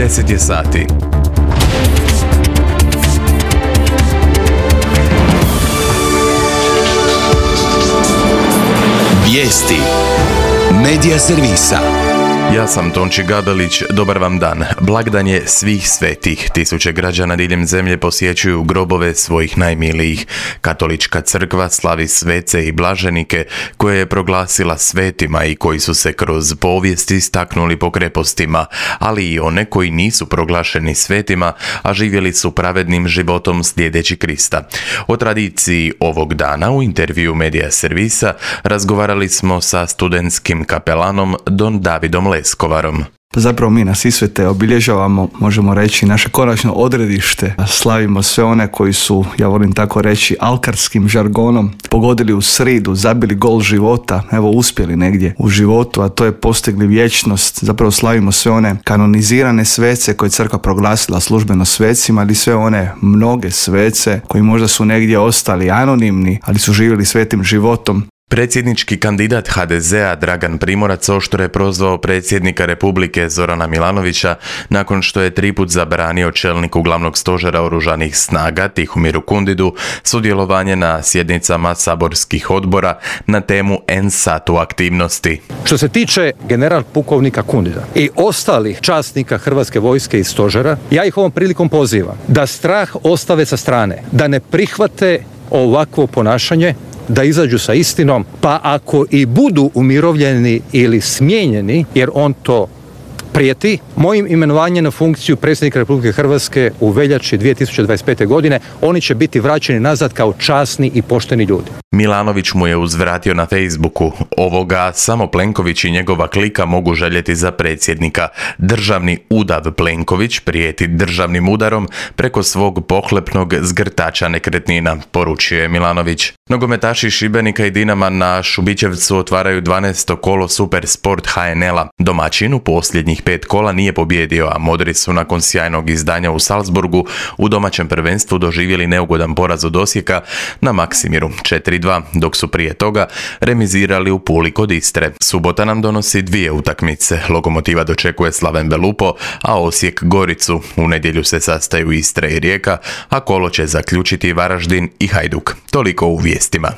10 je sati. Vijesti Medija servisa. Ja sam Tonči Gabelić, dobar vam dan. Blagdan je svih svetih. Tisuće građana diljem zemlje posjećuju grobove svojih najmilijih. Katolička crkva slavi svece i blaženike koje je proglasila svetima i koji su se kroz povijest istaknuli po krepostima, ali i one koji nisu proglašeni svetima, a živjeli su pravednim životom slijedeći Krista. O tradiciji ovog dana u intervju Medija servisa razgovarali smo sa studentskim kapelanom Don Davidom Leskovarom. Zapravo mi na Sisvete obilježavamo, možemo reći, naše konačno odredište. Slavimo sve one koji su, ja volim tako reći, alkarskim žargonom pogodili u sridu, zabili gol života, evo uspjeli negdje u životu, a to je postigli vječnost. Zapravo slavimo sve one kanonizirane svece koje je crkva proglasila službeno svecima, ali sve one mnoge svece koji možda su negdje ostali anonimni, ali su živjeli svetim životom. Predsjednički kandidat HDZ-a Dragan Primorac oštro je prozvao predsjednika Republike Zorana Milanovića nakon što je 3 put zabranio čelniku glavnog stožera oružanih snaga Tihomiru Kundidu sudjelovanje na sjednicama saborskih odbora na temu NSATU aktivnosti. Što se tiče general pukovnika Kundida i ostalih časnika Hrvatske vojske i stožera, ja ih ovom prilikom pozivam da strah ostave sa strane, da ne prihvate ovakvo ponašanje, da izađu sa istinom, pa ako i budu umirovljeni ili smijenjeni, jer on to prijeti, mojim imenovanjem na funkciju predsjednika Republike Hrvatske u veljači 2025. godine, oni će biti vraćeni nazad kao časni i pošteni ljudi. Milanović mu je uzvratio na Facebooku: ovoga samo Plenković i njegova klika mogu željeti za predsjednika. Državni udav Plenković prijeti državnim udarom preko svog pohlepnog zgrtača nekretnina, poručio je Milanović. Nogometaši Šibenika i Dinama na Šubićevcu otvaraju 12. kolo Super Sport HNL-a. Domaćin u posljednjih 5 kola nije pobijedio, a modri su nakon sjajnog izdanja u Salzburgu u domaćem prvenstvu doživjeli neugodan poraz od Osijeka na Maksimiru 4-2, dok su prije toga remizirali u Puli kod Istre. Subota nam donosi 2 utakmice. Lokomotiva dočekuje Slaven Belupo, a Osijek Goricu. U nedjelju se sastaju Istra i Rijeka, a kolo će zaključiti Varaždin i Hajduk. Toliko u vijestima.